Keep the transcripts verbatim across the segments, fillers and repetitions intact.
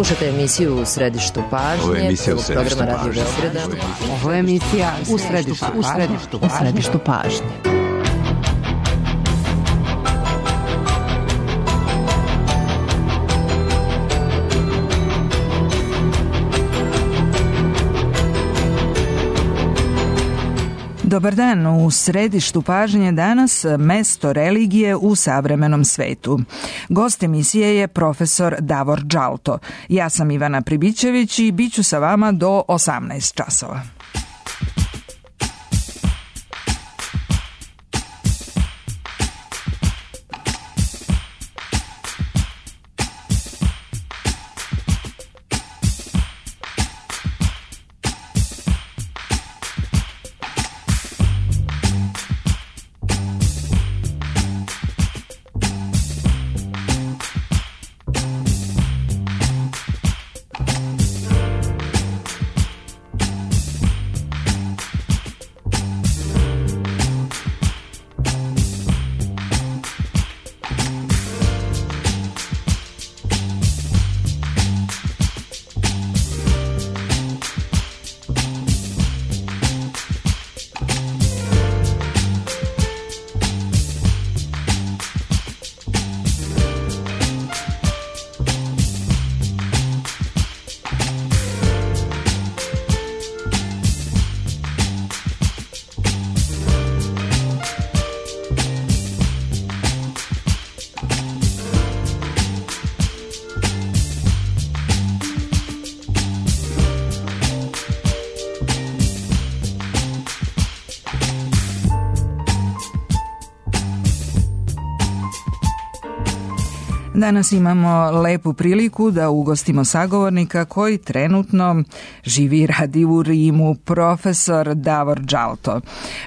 Slušajte emisiju U središtu pažnje. Ovo je emisija U središtu programa Radio pažnje. Beograda. Ovo je emisija U središtu, u središtu, u središtu pažnje. Dobar dan, u središtu pažnje danas mesto religije u savremenom svetu. Gost emisije je profesor Davor Džalto. Ja sam Ivana Pribićević i bit ću sa vama do osamnaest časova. Danas imamo lepu priliku da ugostimo sagovornika koji trenutno živi i radi u Rimu, profesor Davor Džalto,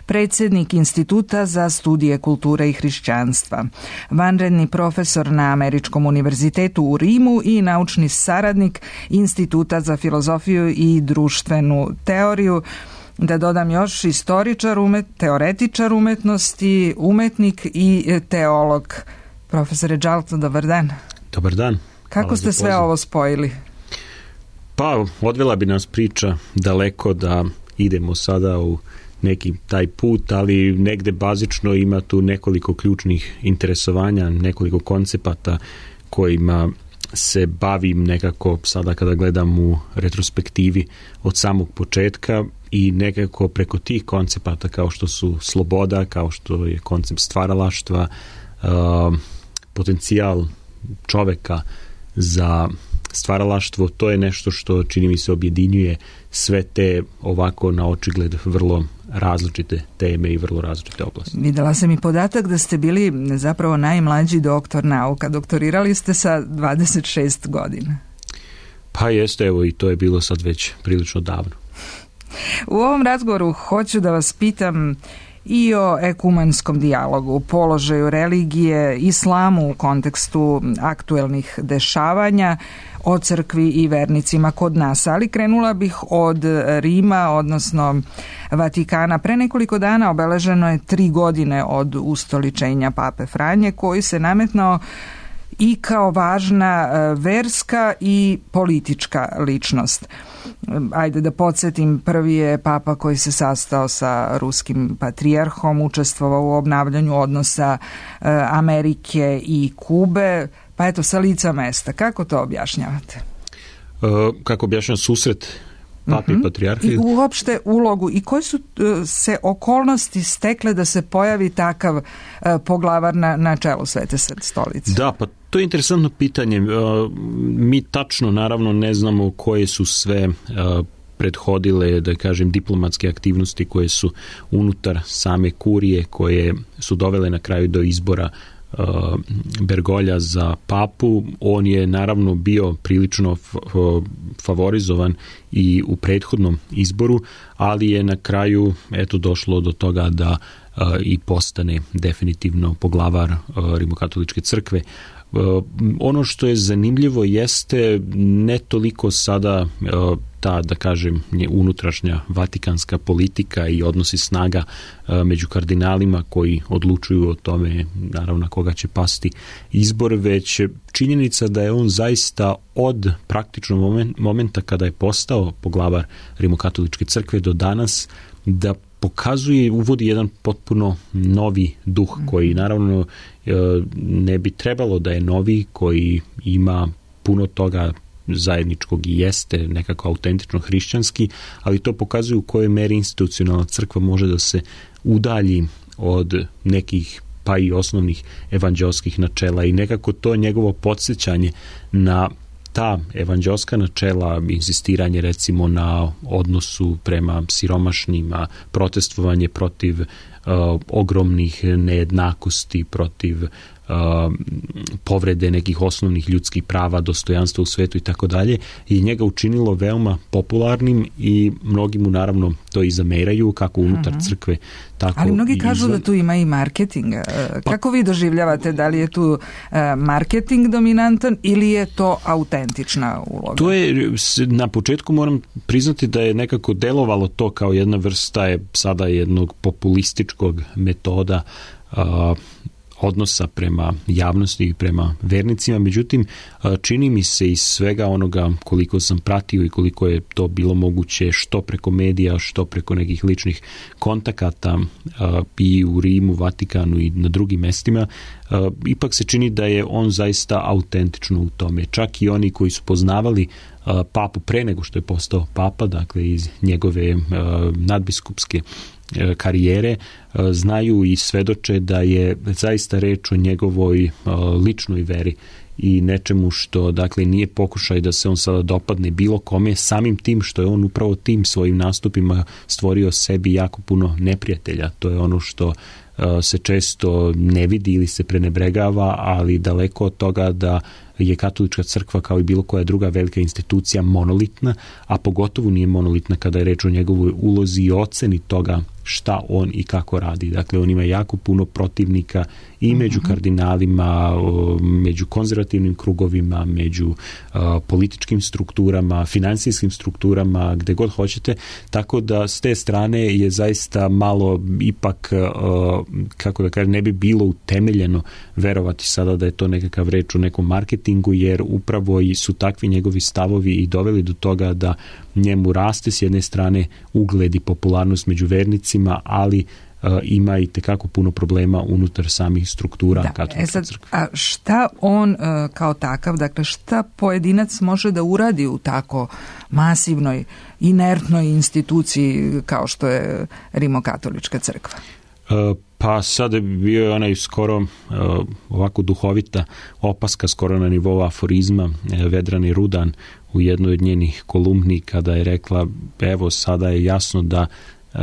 predsjednik Instituta za studije kulture i hrišćanstva, vanredni profesor na Američkom univerzitetu u Rimu i naučni saradnik Instituta za filozofiju i društvenu teoriju. Da dodam još, istoričar, umet, teoretičar umetnosti, umetnik i teolog. Profesore Džalto, dobar dan. Dobar dan. Kako ste sve ovo spojili? Pa, odvela bi nas priča daleko da idemo sada u neki taj put, ali negde bazično ima tu nekoliko ključnih interesovanja, nekoliko koncepata kojima se bavim nekako sada kada gledam u retrospektivi od samog početka i nekako preko tih koncepata kao što su sloboda, kao što je koncept stvaralaštva, uh, potencijal čoveka za stvaralaštvo, to je nešto što čini mi se objedinjuje sve te ovako na očigled vrlo različite teme i vrlo različite oblasti. Videla sam i podatak da ste bili zapravo najmlađi doktor nauka. Doktorirali ste sa dvadeset šest godina. Pa jeste, evo i to je bilo sad već prilično davno. U ovom razgovoru hoću da vas pitam i o ekumanskom dijalogu, položaju religije, islamu u kontekstu aktuelnih dešavanja, o crkvi i vernicima kod nas. Ali krenula bih od Rima, odnosno Vatikana. Pre nekoliko dana obeleženo je tri godine od ustoličenja Pape Franje, koji se nametnao i kao važna verska i politička ličnost. Ajde da podsjetim, prvi je papa koji se sastao sa ruskim patrijarhom, učestvovao u obnavljanju odnosa Amerike i Kube, pa eto sa lica mesta. Kako to objašnjavate? Uh, kako objašnjam susret papi uh-huh. i patrijarha? I uopšte ulogu i koje su uh, se okolnosti stekle da se pojavi takav uh, poglavar na, na čelu Svete stolice? Da, pa to je interesantno pitanje. Mi tačno naravno ne znamo koje su sve prethodile, da kažem, diplomatske aktivnosti koje su unutar same kurije, koje su dovele na kraju do izbora Bergolja za papu. On je naravno bio prilično favorizovan i u prethodnom izboru, ali je na kraju eto došlo do toga da i postane definitivno poglavar Rimokatoličke crkve. Ono što je zanimljivo jeste ne toliko sada ta, da kažem, unutrašnja vatikanska politika i odnosi snaga među kardinalima koji odlučuju o tome, naravno, na koga će pasti izbor, već činjenica da je on zaista od praktično momenta kada je postao poglavar Rimokatoličke crkve do danas, da pokazuje, uvodi jedan potpuno novi duh koji naravno ne bi trebalo da je novi, koji ima puno toga zajedničkog i jeste nekako autentično hrišćanski, ali to pokazuje u kojoj meri institucionalna crkva može da se udalji od nekih pa i osnovnih evanđelskih načela i nekako to njegovo podsjećanje na ta evanđelska načela, insistiranje recimo na odnosu prema siromašnjima, protestovanje protiv uh, ogromnih nejednakosti, protiv uh, povrede nekih osnovnih ljudskih prava, dostojanstva u svetu i tako dalje, i njega učinilo veoma popularnim i mnogi mu naravno to i zameraju, kako unutar uh-huh. crkve, tako. Ali mnogi kažu izvan... da tu ima i marketing. Kako pa... vi doživljavate, da li je tu marketing dominantan ili je to autentična uloga? To je, na početku moram priznati da je nekako delovalo to kao jedna vrsta je sada jednog populističkog metoda a, odnosa prema javnosti i prema vernicima, međutim čini mi se iz svega onoga koliko sam pratio i koliko je to bilo moguće što preko medija, što preko nekih ličnih kontakata i u Rimu, Vatikanu i na drugim mestima, ipak se čini da je on zaista autentično u tome. Čak i oni koji su poznavali papu pre nego što je postao papa, dakle iz njegove nadbiskupske karijere, znaju i svedoče da je zaista reč o njegovoj ličnoj veri i nečemu što, dakle, nije pokušaj da se on sada dopadne bilo kome, samim tim što je on upravo tim svojim nastupima stvorio sebi jako puno neprijatelja. To je ono što se često ne vidi ili se prenebregava, ali daleko od toga da je katolička crkva kao i bilo koja druga velika institucija monolitna, a pogotovo nije monolitna kada je reč o njegovoj ulozi i oceni toga šta on i kako radi. Dakle, on ima jako puno protivnika i među kardinalima, među konzervativnim krugovima, među uh, političkim strukturama, finansijskim strukturama, gde god hoćete, tako da s te strane je zaista malo ipak, uh, kako da kažem, ne bi bilo utemeljeno verovati sada da je to nekakav reč o nekom marketingu, jer upravo i su takvi njegovi stavovi i doveli do toga da njemu raste s jedne strane ugled i popularnost među vernicima, ali uh, ima i tekako puno problema unutar samih struktura da, katoličke e sad, crkve. A šta on uh, kao takav, dakle šta pojedinac može da uradi u tako masivnoj, inertnoj instituciji kao što je Rimokatolička crkva? Uh, pa sad bio je onaj skoro uh, ovako duhovita opaska, skoro na nivou aforizma, uh, Vedrani Rudan u jednoj od njenih kolumni, kada je rekla, evo sada je jasno da uh,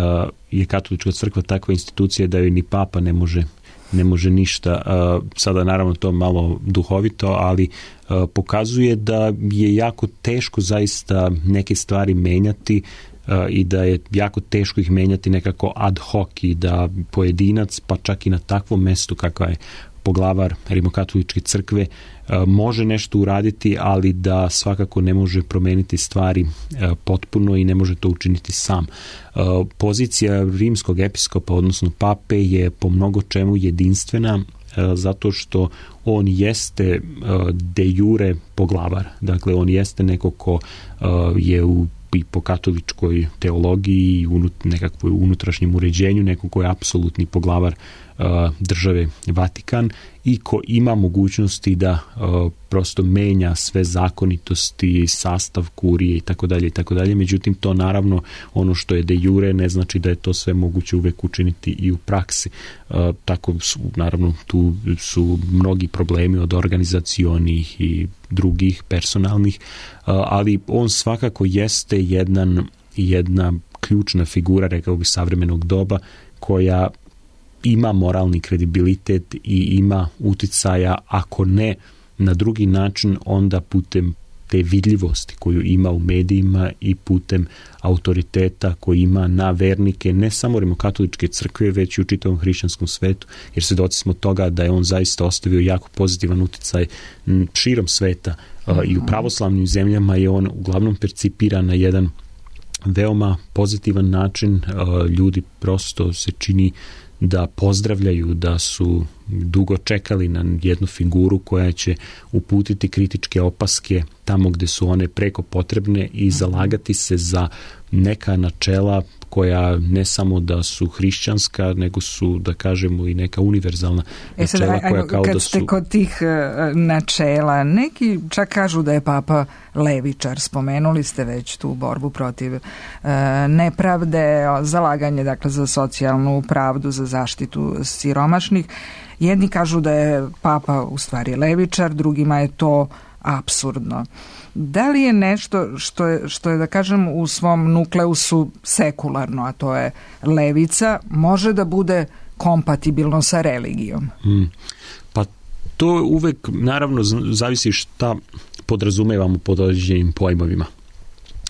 je katolička crkva takva institucija da joj ni papa ne može ne može ništa. Uh, sada naravno to malo duhovito, ali uh, pokazuje da je jako teško zaista neke stvari menjati uh, i da je jako teško ih menjati nekako ad hoc i da pojedinac, pa čak i na takvom mestu kakva je poglavar Rimokatoličke crkve, može nešto uraditi, ali da svakako ne može promeniti stvari potpuno i ne može to učiniti sam. Pozicija rimskog episkopa, odnosno pape, je po mnogo čemu jedinstvena, zato što on jeste de jure poglavar. Dakle, on jeste neko ko je u i po katoličkoj teologiji i unut, nekakvoj unutrašnjem uređenju, neko ko je apsolutni poglavar uh, države Vatikan i ko ima mogućnosti da uh, prosto menja sve zakonitosti, sastav kurije i tako dalje i tako dalje. Međutim, to naravno ono što je de jure ne znači da je to sve moguće uvek učiniti i u praksi. Uh, tako su, naravno, tu su mnogi problemi od organizacionih i drugih personalnih, uh, ali on svakako jeste jedan, jedna ključna figura, rekao bih, savremenog doba, koja ima moralni kredibilitet i ima uticaja, ako ne na drugi način, onda putem te vidljivosti koju ima u medijima i putem autoriteta koji ima na vernike ne samo rimokatoličke crkve, već i u čitavom hrišćanskom svetu, jer svedoci smo toga da je on zaista ostavio jako pozitivan uticaj širom sveta. I u pravoslavnim zemljama je on uglavnom percipiran na jedan veoma pozitivan način. Ljudi prosto se čini da pozdravljaju, da su dugo čekali na jednu figuru koja će uputiti kritičke opaske tamo gde su one preko potrebne i zalagati se za neka načela koja ne samo da su hrišćanska, nego su, da kažemo, i neka univerzalna e sad, načela koja ajmo, kao kad da su... ste kod tih uh, načela, neki čak kažu da je Papa levičar, spomenuli ste već tu borbu protiv uh, nepravde, zalaganje dakle za socijalnu pravdu, za zaštitu siromašnih. Jedni kažu da je Papa u stvari levičar, drugima je to apsurdno. Da li je nešto što je, što je da kažem u svom nukleusu sekularno, a to je levica, može da bude kompatibilno sa religijom? Hmm. Pa to uvek naravno zavisi šta podrazumevamo pod određenim pojmovima.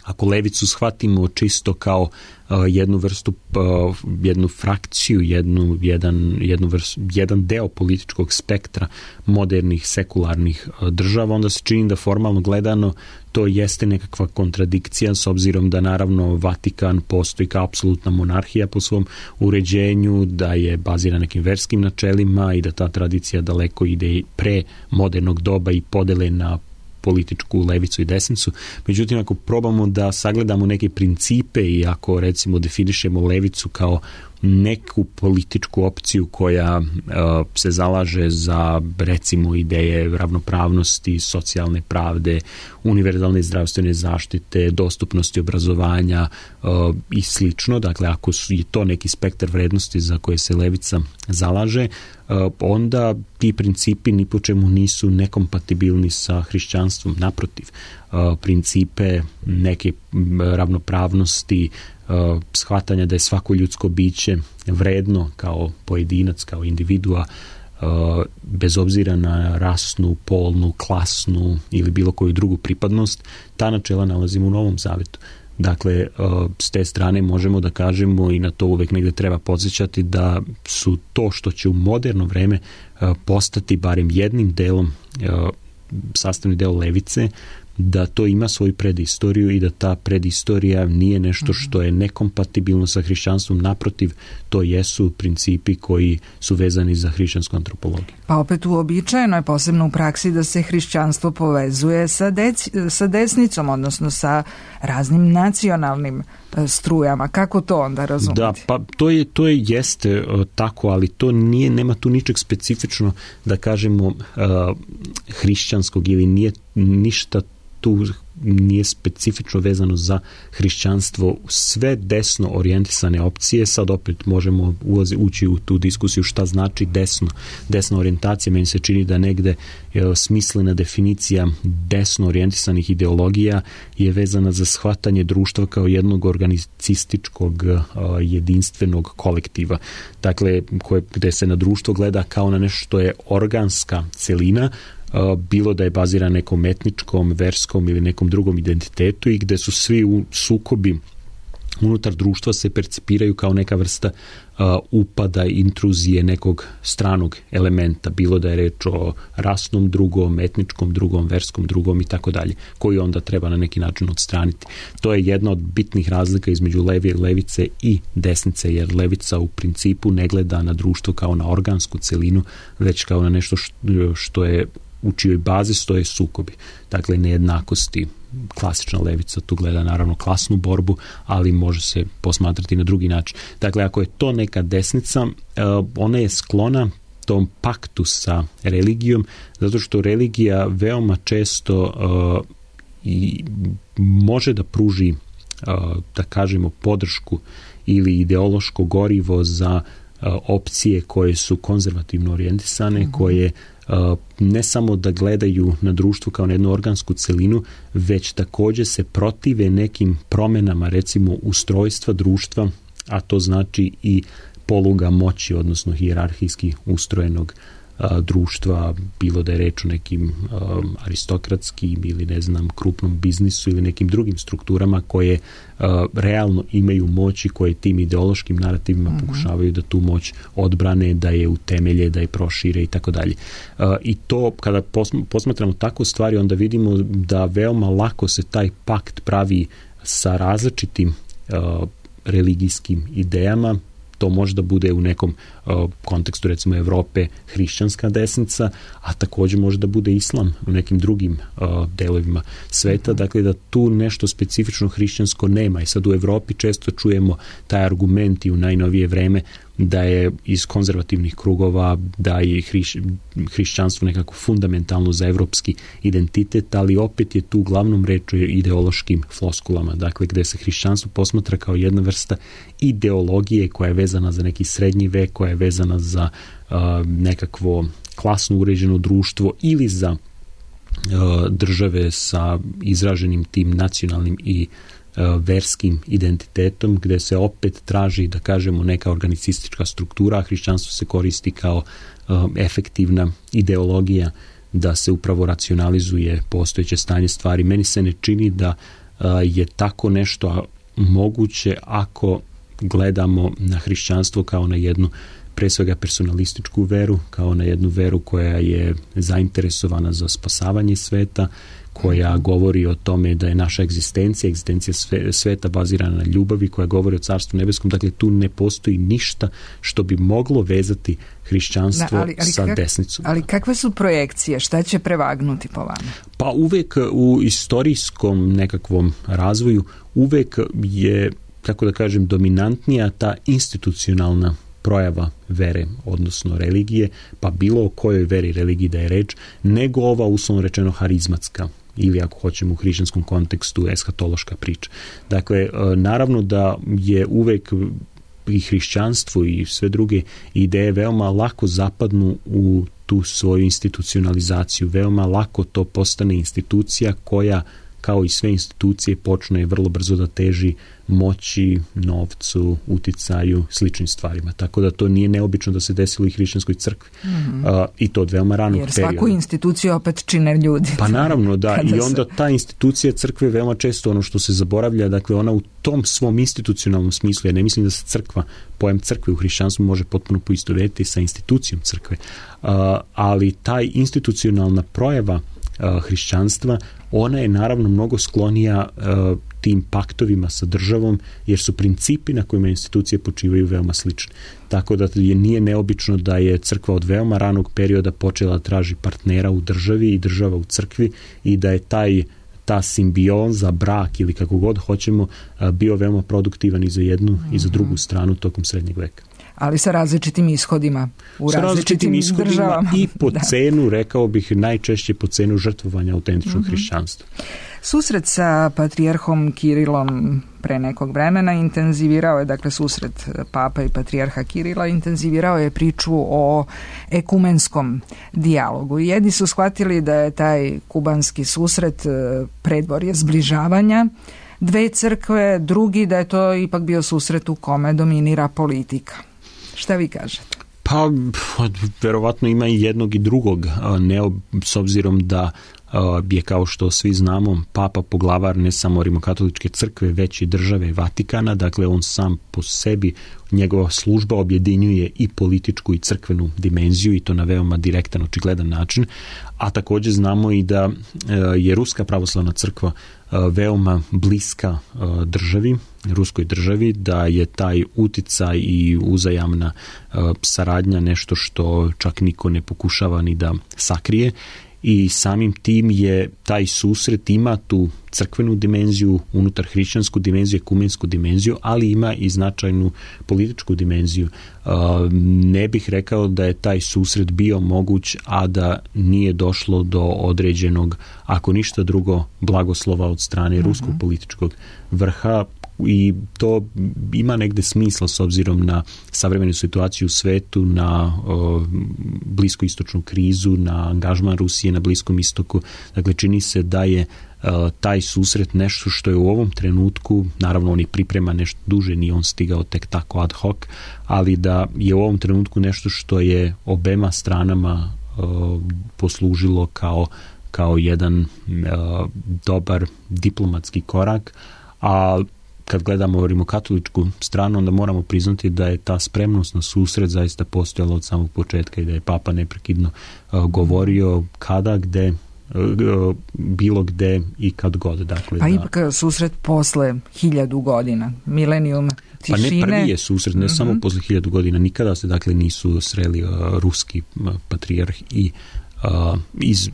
Ako levicu shvatimo čisto kao uh, jednu vrstu, uh, jednu frakciju, jednu, jedan, jednu vrstu, jedan deo političkog spektra modernih sekularnih uh, država, onda se čini da formalno gledano to jeste nekakva kontradikcija, s obzirom da naravno Vatikan postoji kao apsolutna monarhija po svom uređenju, da je baziran nekim verskim načelima i da ta tradicija daleko ide pre modernog doba i podele na političku levicu i desnicu. Međutim, ako probamo da sagledamo neke principe i ako recimo definišemo levicu kao neku političku opciju koja uh, se zalaže za recimo ideje ravnopravnosti, socijalne pravde, univerzalne zdravstvene zaštite, dostupnosti obrazovanja uh, i slično. Dakle, ako su, je to neki spektar vrednosti za koje se levica zalaže, uh, onda ti principi ni po čemu nisu nekompatibilni sa hrišćanstvom. Naprotiv, uh, principe neke ravnopravnosti, Uh, shvatanja da je svako ljudsko biće vredno kao pojedinac, kao individua, uh, bez obzira na rasnu, polnu, klasnu ili bilo koju drugu pripadnost, ta načela nalazimo u Novom Zavetu. Dakle, uh, s te strane možemo da kažemo, i na to uvek negde treba podsjećati, da su to što će u moderno vreme uh, postati barem jednim delom, uh, sastavni deo levice, da to ima svoju predistoriju i da ta predistorija nije nešto što je nekompatibilno sa hrišćanstvom. Naprotiv, to jesu principi koji su vezani za hrišćansku antropologiju. Pa opet uobičajeno je, posebno u praksi, da se hrišćanstvo povezuje sa, dec, sa desnicom, odnosno sa raznim nacionalnim strujama. Kako to onda razumjeti? Da, pa to je, to je jeste uh, tako, ali to nije, nema tu ničeg specifično, da kažemo, uh, hrišćanskog, ili nije ništa tu nije specifično vezano za hrišćanstvo. Sve desno orijentisane opcije, sad opet možemo ulazi, ući u tu diskusiju šta znači desno. Desna orijentacija, meni se čini da negde je smislena definicija desno orijentisanih ideologija je vezana za shvatanje društva kao jednog organicističkog jedinstvenog kolektiva. Dakle, koje, gde se na društvo gleda kao na nešto što je organska celina, bilo da je baziran nekom etničkom, verskom ili nekom drugom identitetu, i gde su svi u sukobi unutar društva se percipiraju kao neka vrsta uh, upada, intruzije nekog stranog elementa, bilo da je reč o rasnom drugom, etničkom drugom, verskom drugom i tako dalje, koji onda treba na neki način odstraniti. To je jedna od bitnih razlika između leve, levice i desnice, jer levica u principu ne gleda na društvo kao na organsku celinu, već kao na nešto što je u čijoj bazi stoje sukobi. Dakle, nejednakosti. Klasična levica tu gleda naravno klasnu borbu, ali može se posmatrati na drugi način. Dakle, ako je to neka desnica, ona je sklona tom paktu sa religijom, zato što religija veoma često uh, i može da pruži, uh, da kažemo, podršku ili ideološko gorivo za uh, opcije koje su konzervativno orijentisane, mm-hmm. koje Uh, ne samo da gledaju na društvo kao na jednu organsku celinu, već također se protive nekim promenama, recimo ustrojstva društva, a to znači i poluga moći, odnosno hijerarhijski ustrojenog a, društva, bilo da je reč o nekim a, aristokratskim ili ne znam krupnom biznisu ili nekim drugim strukturama koje a, realno imaju moć i koje tim ideološkim narativima mm-hmm. pokušavaju da tu moć odbrane, da je utemelje, da je prošire i tako dalje. I to kada posmatramo tako stvari, onda vidimo da veoma lako se taj pakt pravi sa različitim uh, religijskim idejama. To možda bude u nekom uh, kontekstu recimo Evrope hrišćanska desnica, a također može da bude islam u nekim drugim uh, delovima sveta. Mm-hmm. Dakle, da tu nešto specifično hrišćansko nema. I sad u Evropi često čujemo taj argument i u najnovije vreme da je iz konzervativnih krugova, da je hriš, hrišćanstvo nekako fundamentalno za evropski identitet, ali opet je tu uglavnom reč o ideološkim floskulama, dakle gde se hrišćanstvo posmatra kao jedna vrsta ideologije koja je vezana za neki srednji vek, koja je vezana za uh, nekakvo klasno uređeno društvo ili za uh, države sa izraženim tim nacionalnim i verskim identitetom, gde se opet traži, da kažemo, neka organicistička struktura, a hrišćanstvo se koristi kao uh, efektivna ideologija da se upravo racionalizuje postojeće stanje stvari. Meni se ne čini da uh, je tako nešto moguće ako gledamo na hrišćanstvo kao na jednu pre svega personalističku veru, kao na jednu veru koja je zainteresovana za spasavanje sveta, koja govori o tome da je naša egzistencija, egzistencija sveta bazirana na ljubavi, koja govori o Carstvu nebeskom. Dakle, tu ne postoji ništa što bi moglo vezati hrišćanstvo da, ali, ali sa kak, desnicom. Ali kakve su projekcije? Šta će prevagnuti po vama? Pa uvek u istorijskom nekakvom razvoju uvek je, kako da kažem, dominantnija ta institucionalna projava vere, odnosno religije, pa bilo o kojoj veri religiji da je reč, nego ova uslovno rečeno harizmatska ili ako hoćemo u hrišćanskom kontekstu eskatološka priča. Dakle, naravno da je uvek i hrišćanstvo i sve druge ideje veoma lako zapadnu u tu svoju institucionalizaciju. Veoma lako to postane institucija koja, kao i sve institucije, počne vrlo brzo da teži moći, novcu, uticaju, sličnim stvarima. Tako da to nije neobično da se desilo i hrišćanskoj crkvi. Mm-hmm. Uh, I to od veoma ranog perioda. Jer svaku instituciju opet čine ljudi. Pa naravno, da. I onda ta institucija crkve veoma često ono što se zaboravlja, dakle ona u tom svom institucionalnom smislu, ja ne mislim da se crkva, pojam crkve u hrišćanstvu može potpuno poistovetiti sa institucijom crkve. Uh, ali taj institucionalna projava uh, hrišćanstva, ona je naravno mnogo sklonija uh, tim paktovima sa državom, jer su principi na kojima institucije počivaju veoma slični. Tako da je, nije neobično da je crkva od veoma ranog perioda počela da traži partnera u državi i država u crkvi i da je taj ta simbioza, brak ili kako god hoćemo, bio veoma produktivan i za jednu mm-hmm. i za drugu stranu tokom srednjeg veka. Ali sa različitim ishodima u sa različitim, različitim državama. I po da. cenu, rekao bih, najčešće po cenu žrtvovanja autentičnog mm-hmm. hrišćanstva. Susret sa patrijarhom Kirilom pre nekog vremena intenzivirao je, dakle susret papa i patrijarha Kirila intenzivirao je priču o ekumenskom dijalogu. Jedni su shvatili da je taj kubanski susret predvorje zbližavanja dve crkve, drugi da je to ipak bio susret u kome dominira politika. Šta vi kažete? Pa, verovatno ima i jednog i drugog, ne s obzirom da je, kao što svi znamo, papa poglavar ne samo rimokatoličke crkve, već i države Vatikana, dakle on sam po sebi, njegova služba objedinjuje i političku i crkvenu dimenziju i to na veoma direktan, očigledan način, a također znamo i da je Ruska pravoslavna crkva veoma bliska državi, ruskoj državi, da je taj uticaj i uzajamna saradnja nešto što čak niko ne pokušava ni da sakrije. I samim tim je taj susret ima tu crkvenu dimenziju, unutar hrišćansku dimenziju, ekumensku dimenziju, ali ima i značajnu političku dimenziju. Ne bih rekao da je taj susret bio moguć, a da nije došlo do određenog, ako ništa drugo, blagoslova od strane mm-hmm. ruskog političkog vrha, i to ima negde smisla s obzirom na savremenu situaciju u svetu, na o, bliskoistočnu krizu, na angažman Rusije na Bliskom istoku. Dakle, čini se da je taj susret nešto što je u ovom trenutku, naravno on i priprema nešto duže, nije on stigao tek tako ad hoc, ali da je u ovom trenutku nešto što je obema stranama uh, poslužilo kao, kao jedan uh, dobar diplomatski korak, a kad gledamo rimokatoličku stranu, onda moramo priznati da je ta spremnost na susret zaista postojala od samog početka i da je Papa neprekidno uh, govorio kada, gde, uh, bilo gde i kad god. Dakle, pa da, ipak susret posle hiljadu godina, milenijum tišine. Pa ne prvi je susret, ne uh-huh. samo posle hiljadu godina, nikada se dakle nisu sreli uh, ruski uh, patrijarh i Uh, iz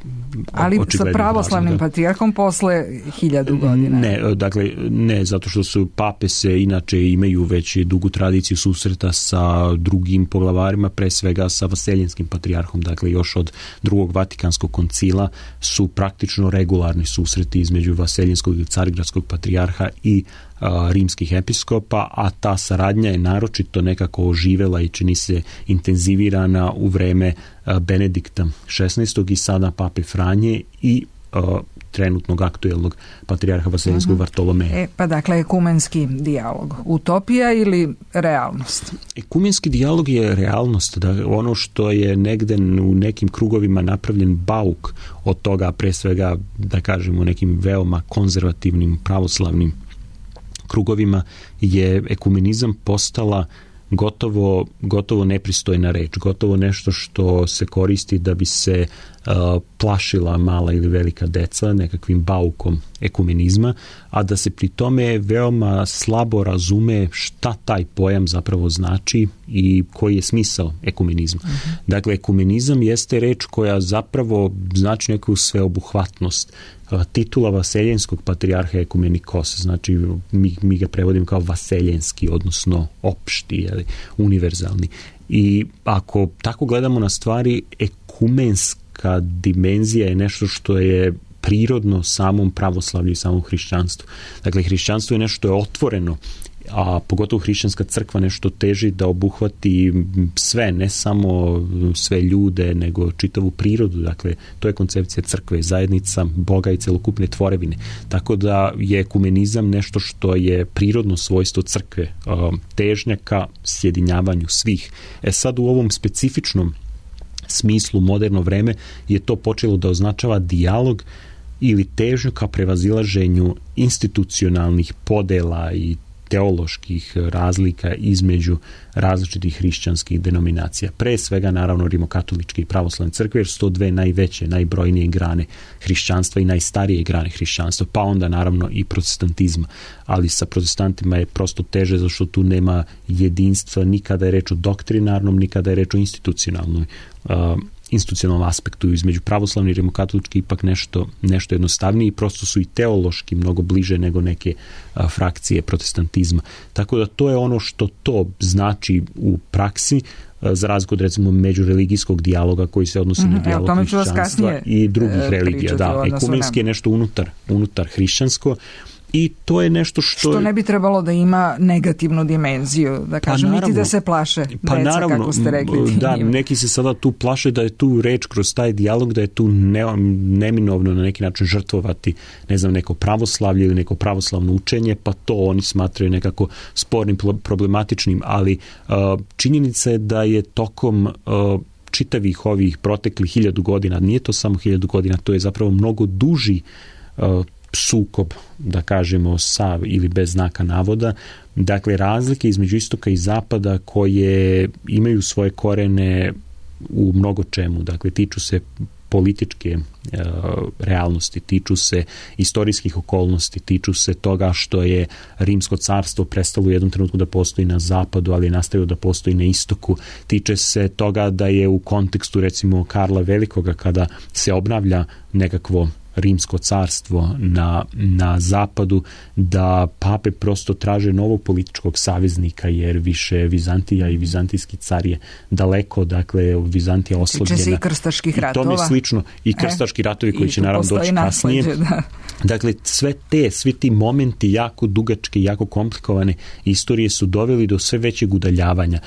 ali sa pravoslavnim razloga. Patrijarhom posle hiljadu godina. Ne, dakle, ne, zato što su pape se inače imaju već dugu tradiciju susreta sa drugim poglavarima, pre svega sa Vaseljenskim patrijarhom, dakle još od drugog Vatikanskog koncila su praktično regularni susreti između Vaseljenskog i Carigradskog patrijarha i rimskih episkopa, a ta saradnja je naročito nekako oživela i čini se intenzivirana u vreme Benedikta šesnaestog i sada pape Franje i uh, trenutnog aktuelnog patrijarha Vaseljenskog uh-huh. Vartolomeja. E, pa dakle, ekumenski dijalog. Utopija ili realnost? Ekumenski dijalog je realnost. Da, ono što je negde u nekim krugovima napravljen bauk od toga, pre svega, da kažemo, nekim veoma konzervativnim pravoslavnim krugovima, je ekumenizam postala gotovo, gotovo nepristojna reč, gotovo nešto što se koristi da bi se uh, plašila mala ili velika deca nekakvim baukom ekumenizma, a da se pri tome veoma slabo razume šta taj pojam zapravo znači i koji je smisao ekumenizma. Uh-huh. Dakle, ekumenizam jeste reč koja zapravo znači neku sveobuhvatnost. Titula Vaseljenskog patrijarha je ekumenikos, znači mi, mi ga prevodimo kao vaseljenski, odnosno opšti, ali univerzalni. I ako tako gledamo na stvari, ekumenska dimenzija je nešto što je prirodno samom pravoslavlju i samom hrišćanstvu. Dakle, hrišćanstvo je nešto što je otvoreno, a pogotovo hrišćanska crkva nešto teži da obuhvati sve, ne samo sve ljude, nego čitavu prirodu. Dakle, to je koncepcija crkve, zajednica Boga i celokupne tvorevine. Tako da je ekumenizam nešto što je prirodno svojstvo crkve, težnja ka sjedinjavanju svih. E sad u ovom specifičnom smislu moderno vreme je to počelo da označava dijalog ili težnju ka prevazilaženju institucionalnih podela i teoloških razlika između različitih hrišćanskih denominacija. Pre svega, naravno, rimokatoličke i pravoslavne crkve, jer su to dve najveće, najbrojnije grane hrišćanstva i najstarije grane hrišćanstva, pa onda, naravno, i protestantizma. Ali sa protestantima je prosto teže, zato što tu nema jedinstva ni kada je reč o doktrinarnom, ni kada je reč o institucionalnoj uh, institucionalnom aspektu. Između pravoslavni i rimokatolički ipak nešto, nešto jednostavnije i prosto su i teološki mnogo bliže nego neke a, frakcije protestantizma. Tako da to je ono što to znači u praksi, a, za razliku od recimo međureligijskog dijaloga koji se odnosi mm, na dijalog evo, hrišćanstva i drugih e, religija. Da, ekumenski je nešto unutar, unutar hrišćansko. I to je nešto što... Što ne bi trebalo da ima negativnu dimenziju, da kažem, pa niti da se plaše pa deca, naravno, kako ste rekli. Da, neki se sada tu plaše da je tu reč kroz taj dijalog, da je tu ne, neminovno na neki način žrtvovati, ne znam, neko pravoslavlje ili neko pravoslavno učenje, pa to oni smatraju nekako spornim, problematičnim, ali uh, činjenica je da je tokom uh, čitavih ovih proteklih hiljadu godina, nije to samo hiljadu godina, to je zapravo mnogo duži uh, sukob, da kažemo, sa ili bez znaka navoda. Dakle, razlike između istoka i zapada koje imaju svoje korene u mnogo čemu. Dakle, tiču se političke e, realnosti, tiču se istorijskih okolnosti, tiču se toga što je Rimsko carstvo prestalo u jednom trenutku da postoji na zapadu, ali je nastavio da postoji na istoku. Tiče se toga da je u kontekstu, recimo, Karla Velikoga, kada se obnavlja nekakvo Rimsko carstvo na, na zapadu, da pape prosto traže novog političkog saveznika, jer više Vizantija i vizantijski car je daleko, dakle Vizantija oslabljena. Tiče se i krstaških ratova. I tome slično. I krstaški ratovi koji će naravno doći kasnije. Da. Dakle, sve te, svi ti momenti jako dugačke, jako komplikovane istorije su doveli do sve većeg udaljavanja.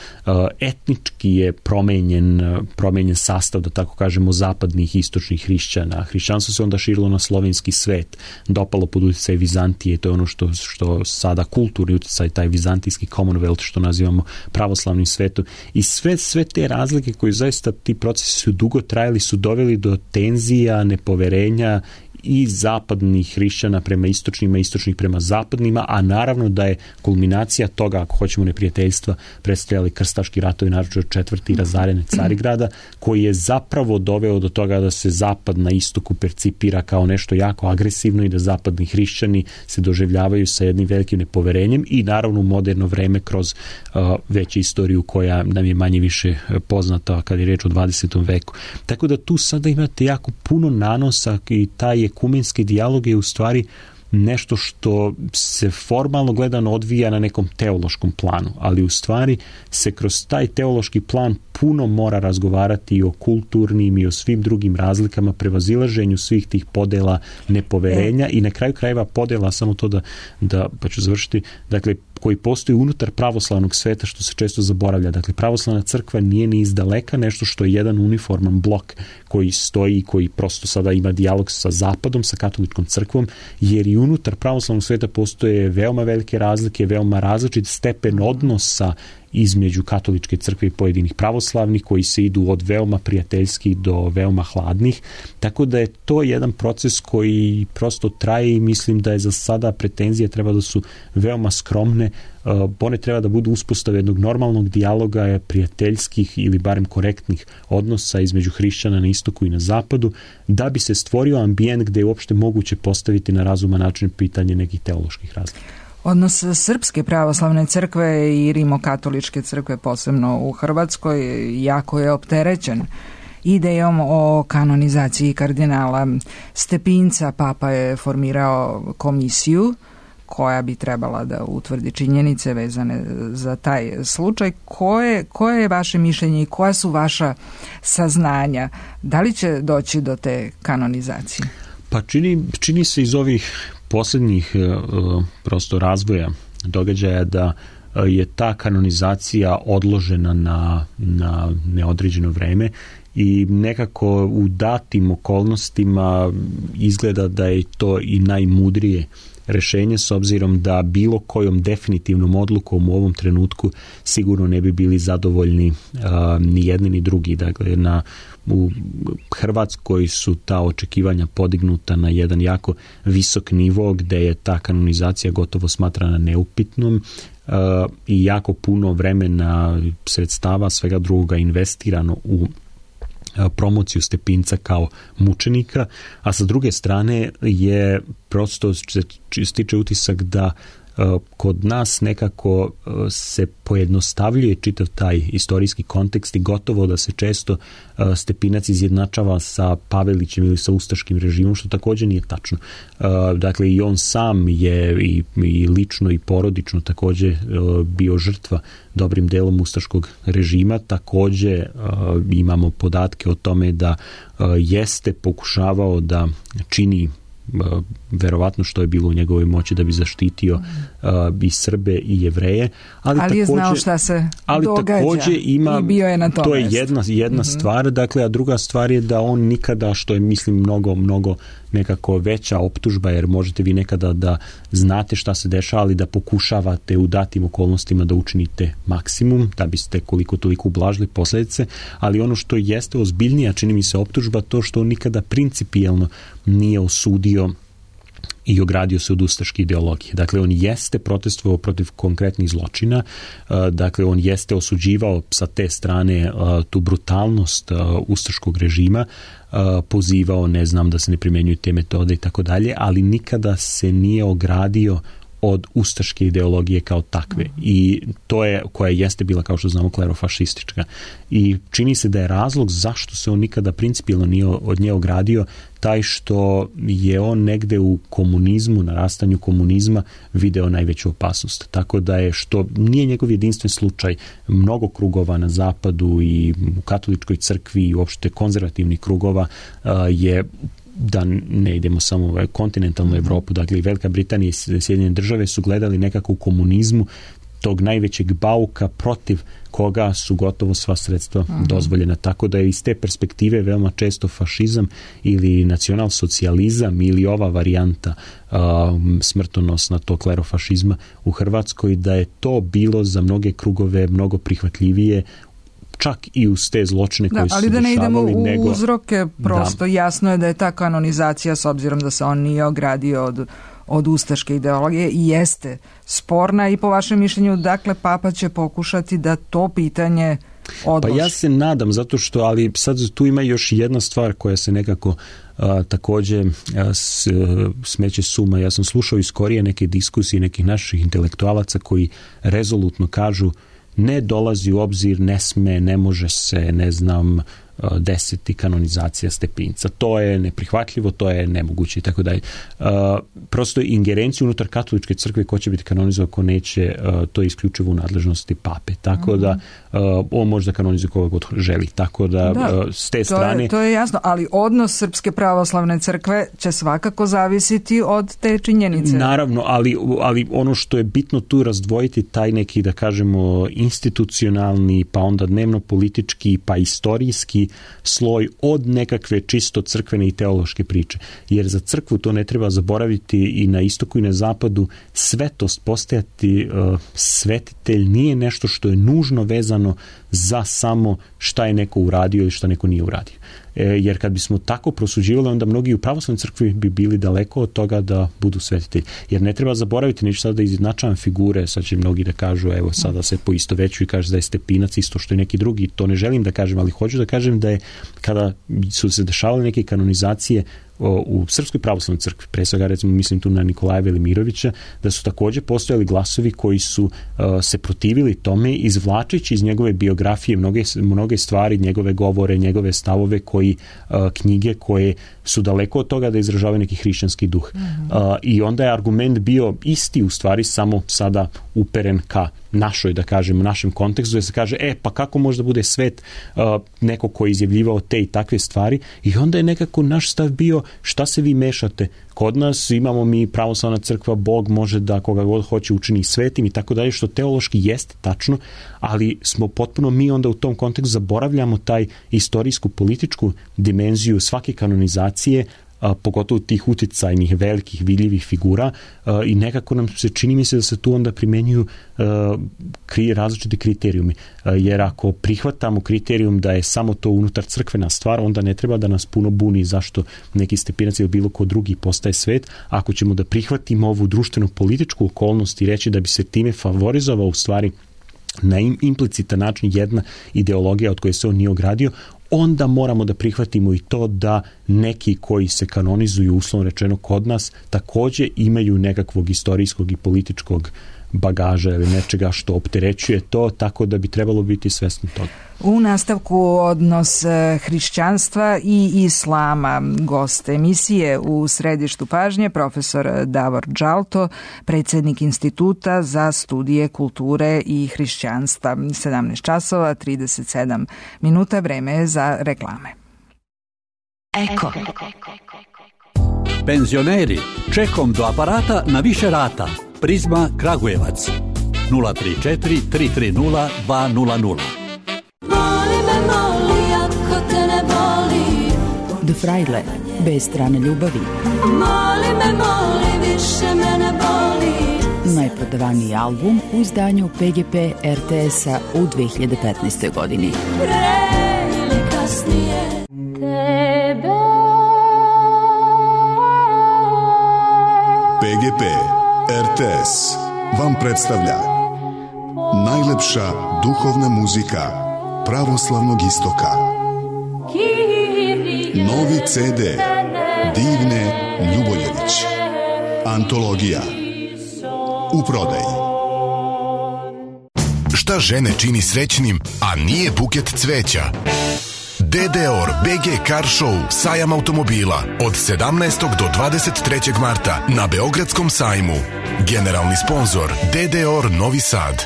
Etnički je promenjen, promenjen sastav, da tako kažemo, zapadnih i istočnih hrišćana. Hrišćanstvo se onda širi proširilo na slovenski svet, dopalo pod utjecaj Vizantije, to je ono što, što sada kulturni utjecaj, taj vizantijski Commonwealth, što nazivamo pravoslavnim svetom. I sve, sve te razlike koje zaista ti procesi su dugo trajali, su doveli do tenzija, nepoverenja i zapadnih hrišćana prema istočnima, istočnih prema zapadnima, a naravno da je kulminacija toga, ako hoćemo neprijateljstva, predstavljali krstaški ratovi, naročito četvrti razarene Carigrada, koji je zapravo doveo do toga da se zapad na istoku percipira kao nešto jako agresivno i da zapadni hrišćani se doživljavaju sa jednim velikim nepoverenjem i naravno u moderno vreme kroz uh, veću istoriju koja nam je manje više poznata kad je reč o dvadesetom veku. Tako da tu sada imate jako puno nanosa i taj ekumenski dijalog je u stvari nešto što se formalno gledano odvija na nekom teološkom planu, ali u stvari se kroz taj teološki plan puno mora razgovarati i o kulturnim i o svim drugim razlikama, prevazilaženju svih tih podela, nepoverenja i na kraju krajeva podela, samo to da, da pa ću završiti, dakle, koji postoji unutar pravoslavnog sveta, što se često zaboravlja. Dakle, pravoslavna crkva nije ni izdaleka nešto što je jedan uniforman blok koji stoji i koji prosto sada ima dijalog sa zapadom, sa katoličkom crkvom, jer i unutar pravoslavnog sveta postoje veoma velike razlike, veoma različit stepen odnosa između katoličke crkve i pojedinih pravoslavnih koji se idu od veoma prijateljskih do veoma hladnih. Tako da je to jedan proces koji prosto traje i mislim da je za sada pretenzije treba da su veoma skromne. One treba da budu uspostave jednog normalnog dijaloga, prijateljskih ili barem korektnih odnosa između hrišćana na istoku i na zapadu, da bi se stvorio ambijent gde je uopšte moguće postaviti na razuman način pitanje nekih teoloških razlika. Odnos Srpske pravoslavne crkve i rimokatoličke crkve, posebno u Hrvatskoj, jako je opterećen idejom o kanonizaciji kardinala Stepinca. Papa je formirao komisiju koja bi trebala da utvrdi činjenice vezane za taj slučaj. Koje, koje je vaše mišljenje i koja su vaša saznanja? Da li će doći do te kanonizacije? Pa čini, čini se iz ovih posljednjih uh, prosto razvoja događaja da uh, je ta kanonizacija odložena na, na neodređeno vreme i nekako u datim okolnostima izgleda da je to i najmudrije rešenje, s obzirom da bilo kojom definitivnom odlukom u ovom trenutku sigurno ne bi bili zadovoljni uh, ni jedni ni drugi. Dakle, na, u Hrvatskoj su ta očekivanja podignuta na jedan jako visok nivo gde je ta kanonizacija gotovo smatrana neupitnom uh, i jako puno vremena, sredstava, svega drugoga investirano u promociju Stepinca kao mučenika, a sa druge strane je prosto se stiče utisak da uh, kod nas nekako uh, se pojednostavljuje čitav taj istorijski kontekst i gotovo da se često uh, Stepinac izjednačava sa Pavelićem ili sa ustaškim režimom, što također nije tačno. Uh, dakle, i on sam je i, i lično i porodično također uh, bio žrtva dobrim delom ustaškog režima. Također uh, imamo podatke o tome da uh, jeste pokušavao da čini uh, verovatno što je bilo u njegovoj moći da bi zaštitio uh, i Srbe i Jevreje, ali, ali je znao šta se ali događa također ima, i bio je na tom to je mestu. jedna, jedna mm-hmm. stvar, dakle, a druga stvar je da on nikada, što je mislim mnogo, mnogo nekako veća optužba, jer možete vi nekada da znate šta se dešava, ali da pokušavate u datim okolnostima da učinite maksimum, da biste koliko toliko ublažili posljedice, ali ono što jeste ozbiljnija, čini mi se, optužba, to što on nikada principijelno nije osudio i ogradio se od ustaške ideologije. Dakle, on jeste protestovao protiv konkretnih zločina, dakle, on jeste osuđivao sa te strane tu brutalnost ustaškog režima, pozivao, ne znam, da se ne primjenjuju te metode i tako dalje, ali nikada se nije ogradio od ustaške ideologije kao takve. I to je, koja jeste bila, kao što znamo, klerofašistička. I čini se da je razlog zašto se on nikada principijelno nije od nje ogradio taj što je on negde u komunizmu, narastanju komunizma, video najveću opasnost. Tako da je, što nije njegov jedinstven slučaj, mnogo krugova na zapadu i u katoličkoj crkvi i uopšte konzervativnih krugova je, da ne idemo samo u kontinentalnu Evropu, dakle i Velika Britanija i Sjedinjene države su gledali nekako u komunizmu tog najvećeg bauka protiv koga su gotovo sva sredstva uh-huh. dozvoljena. Tako da je iz te perspektive veoma često fašizam ili nacionalsocijalizam ili ova varijanta uh, smrtonosna tog klerofašizma u Hrvatskoj, da je to bilo za mnoge krugove mnogo prihvatljivije, čak i uz te zločine koje da, su se dešavali. Ali da ne idemo u nego, uzroke, prosto da. Jasno je da je ta kanonizacija, s obzirom da se on nije ogradio od od ustaške ideologije, i jeste sporna, i po vašem mišljenju, dakle, Papa će pokušati da to pitanje odloži. Pa ja se nadam, zato što, ali sad tu ima još jedna stvar koja se nekako a, također a, s, smeće suma. Ja sam slušao iz skorije neke diskusije nekih naših intelektualaca koji rezolutno kažu ne dolazi u obzir, ne sme, ne može se, ne znam, deseti kanonizacija Stepinca. To je neprihvatljivo, to je nemoguće i tako dalje. Prosto ingerenciju unutar katoličke crkve ko će biti kanonizovan, ko neće, to je isključivo u nadležnosti pape. Tako da on može da kanonizuje koga god želi. Tako da, da s te to strane... Je, to je jasno, ali odnos Srpske pravoslavne crkve će svakako zavisiti od te činjenice. Naravno, ali, ali ono što je bitno tu razdvojiti taj neki, da kažemo, institucionalni, pa onda dnevno politički, pa istorijski sloj od nekakve čisto crkvene i teološke priče. Jer za crkvu to ne treba zaboraviti, i na istoku i na zapadu svetost, postajati uh, svetitelj nije nešto što je nužno vezano za samo šta je neko uradio ili šta neko nije uradio. E, jer kad bismo tako prosuđivali, onda mnogi u pravoslavnoj crkvi bi bili daleko od toga da budu svetitelji. Jer ne treba zaboraviti, neću sada da izjednačavam figure, sad će mnogi da kažu, evo sada se poistovećuju i kaže da je Stepinac isto što i neki drugi, to ne želim da kažem, ali hoću da kažem da je kada su se dešavale neke kanonizacije u Srpskoj pravoslavnoj crkvi, pre svega recimo mislim tu na Nikolaja Velimirovića, da su također postojali glasovi koji su uh, se protivili tome, izvlačeći iz njegove biografije mnoge, mnoge stvari, njegove govore, njegove stavove, koji uh, knjige koje su daleko od toga da izražavaju neki hrišćanski duh. Mm-hmm. Uh, I onda je argument bio isti, u stvari samo sada uperen ka našoj, da kažem, našem kontekstu, da se kaže, e, pa kako može da bude svet uh, neko koji je izjavljivao te i takve stvari, i onda je nekako naš stav bio, šta se vi mešate? Kod nas imamo mi pravoslavna crkva, Bog može da koga god hoće učini svetim i tako dalje, što teološki jeste tačno, ali smo potpuno mi onda u tom kontekstu zaboravljamo taj istorijsku političku dimenziju svake kanonizacije, a, pogotovo tih uticajnih, velikih, vidljivih figura, a, i nekako nam se čini mi se da se tu onda primenjuju a, kri, različiti kriterijumi. A, jer ako prihvatamo kriterijum da je samo to unutar crkvena stvar, onda ne treba da nas puno buni zašto neki Stepinac ili bilo ko drugi postaje svet. Ako ćemo da prihvatimo ovu društvenu političku okolnost i reći da bi se time favorizovao u stvari na implicitan način jedna ideologija od koje se on nije ogradio, onda moramo da prihvatimo i to da neki koji se kanonizuju, uslovno rečeno kod nas, također imaju nekakvog istorijskog i političkog bagaža ili nečega što opterećuje to, tako da bi trebalo biti svesni toga. U nastavku odnos hrišćanstva i islama, gost emisije u središtu pažnje profesor Davor Džalto, predsjednik Instituta za studije kulture i hrišćanstva. sedamnaest časova trideset sedam minuta, vreme je za reklame. Eko. Penzioneri, čekom do aparata na više rata. Prizma Kragujevac nula tri četiri tri tri nula dva nula nula. Moli me, moli, ako te ne boli. The Fraile, bez strane ljubavi. Moli me, moli, više me ne boli. Najprodavaniji album u izdanju P G P R T S-a u dve hiljade petnaestoj godini. Pre ili kasnije tebe. P G P R T S vam predstavlja najlepša duhovna muzika pravoslavnog istoka. Novi C D Divne Ljuboljević. Antologija. U prodaji. Šta žene čini srećnim, a nije buket cveća? D D O R B G Car Show, sajam automobila od sedamnaestog do dvadeset trećeg marta na Beogradskom sajmu. Generalni sponzor D D O R Novi Sad.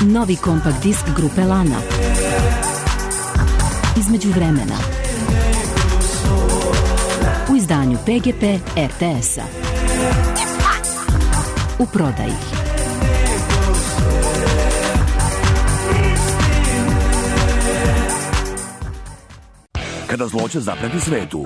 Novi kompakt disk grupe Lana. Između vremena. U izdanju P G P R T S-a. U prodaji. Kada zloće zapreti svetu,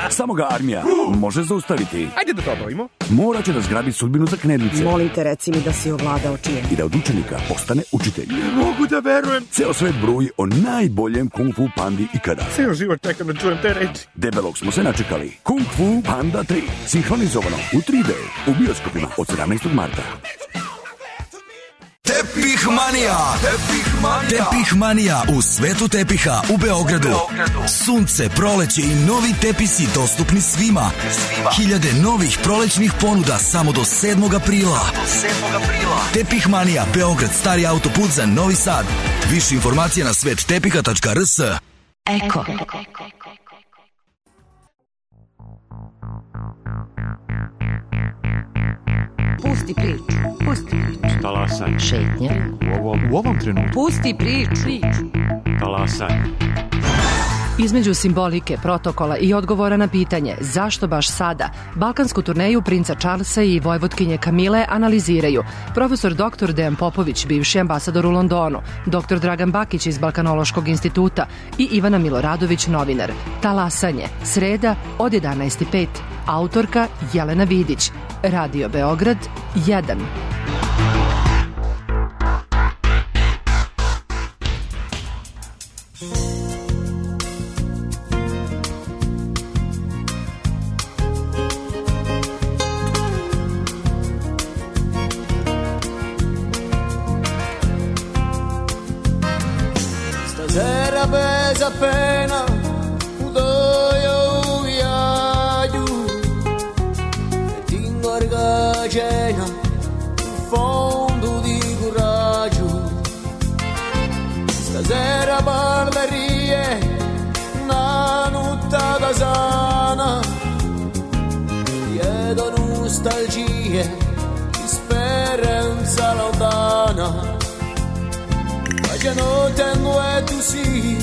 samo ga armija može zaustaviti. Ajde da to obavimo. Morat će da zgrabi sudbinu za knedlice. Molim te, reci mi da si ovladao čijem. I da od učenika postane učitelj. Ne mogu da verujem. Ceo svet bruji o najboljem kung fu pandi ikada. Ceo život čekam da čujem te reči. Debelog smo se načekali. Kung Fu Panda tri. Sinhronizovano u tri D. U bioskopima od sedamnaestog marta. Tepih Manija. Tepih Manija. Tepih Manija u svetu tepiha u Beogradu. Beogradu. Sunce, proleće i novi tepisi dostupni svima. svima. Hiljade novih prolećnih ponuda samo do sedmog aprila. Do sedmog aprila. Tepih Manija, Beograd, stari autoput za Novi Sad. Više informacija na svet tepiha tačka r s. Eko. Pusti priču. Pusti priču. Talasaj. Šetnja. U ovom, u ovom trenutku. Pusti priču. Talasaj. Između simbolike, protokola i odgovora na pitanje zašto baš sada, balkansku turneju princa Charlesa i vojvotkinje Kamile analiziraju profesor doktor Dejan Popović, bivši ambasador u Londonu, doktor Dragan Bakić iz Balkanološkog instituta i Ivana Miloradović, novinar. Talasanje, sreda od jedanaest i pet. Autorka Jelena Vidić. Radio Beograd jedan. Stasera bez appena udoio viaggio e ti ingorgagena in fondo di coraggio. Stasera ballerie una nottata sana, chiedo nostalgie di speranza lontana. Facendo tengo e tu sì,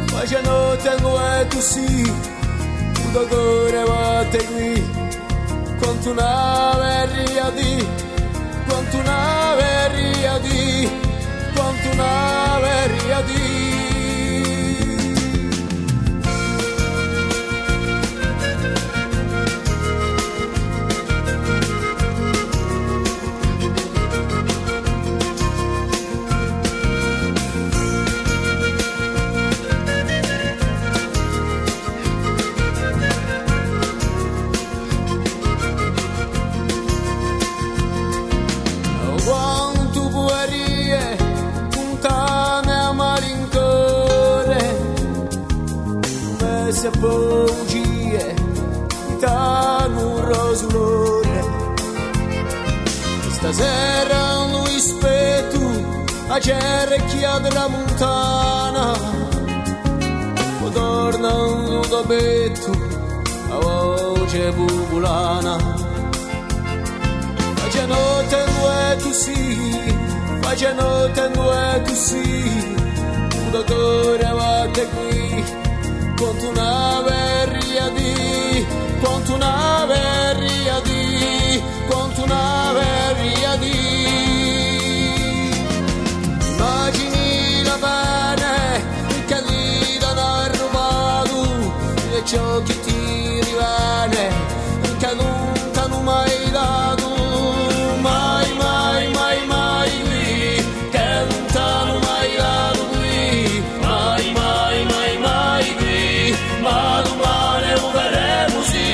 facendo tengo e tu sì, un dottore batte qui, quanto una verria di, quanto una verria di, quanto una verria di. Se bugie danno un rosulone. Stasera lui spetto a cerchia della montana, o tornano da betto a voce bubulana. Facendo tenue tu sì, facendo tenue tu sì, un dottore batte qui, quanto una verria di, quanto una verria di, quanto una verria di. Immagini la bene che lì da rubato e ciò che ti rimane che nunca non mai dato, mai mai mai mai qui, che lontano mai dato qui, mai mai mai mai qui, ma domani lo vedremo sì.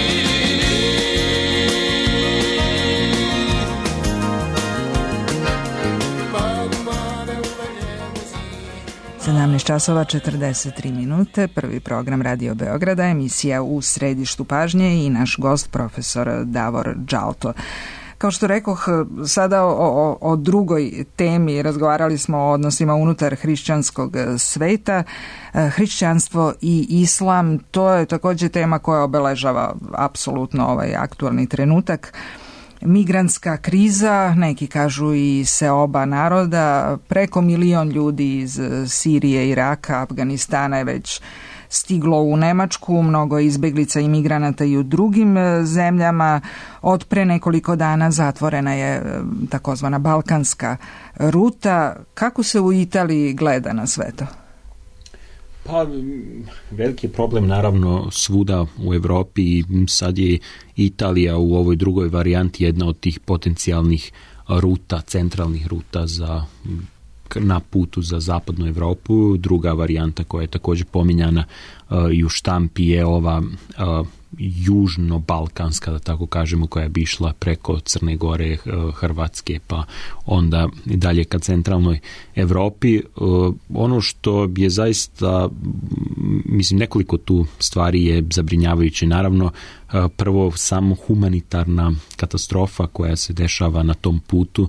sedamnaest časova četrdeset tri minute, prvi program Radio Beograda, emisija U središtu pažnje i naš gost profesor Davor Džalto. Kao što rekoh, sada o, o, o drugoj temi razgovarali smo o odnosima unutar hrišćanskog sveta. Hrišćanstvo i islam, to je također tema koja obeležava apsolutno ovaj aktualni trenutak. Migrantska kriza, neki kažu i seoba naroda, preko milion ljudi iz Sirije, Iraka, Afganistana je već stiglo u Nemačku, mnogo izbeglica i migranata i u drugim zemljama. Od pre nekoliko dana zatvorena je takozvana balkanska ruta. Kako se u Italiji gleda na sve to? Pa, veliki je problem naravno svuda u Europi i sad je Italija u ovoj drugoj varijanti jedna od tih potencijalnih ruta, centralnih ruta za, na putu za zapadnu Europu. Druga varijanta koja je također pominjana uh, i u štampi je ova uh, južno-balkanska, da tako kažemo, koja bi išla preko Crne Gore, Hrvatske, pa onda dalje ka centralnoj Europi. Ono što je zaista, mislim, nekoliko tu stvari je zabrinjavajuće. Naravno, prvo, samo humanitarna katastrofa koja se dešava na tom putu.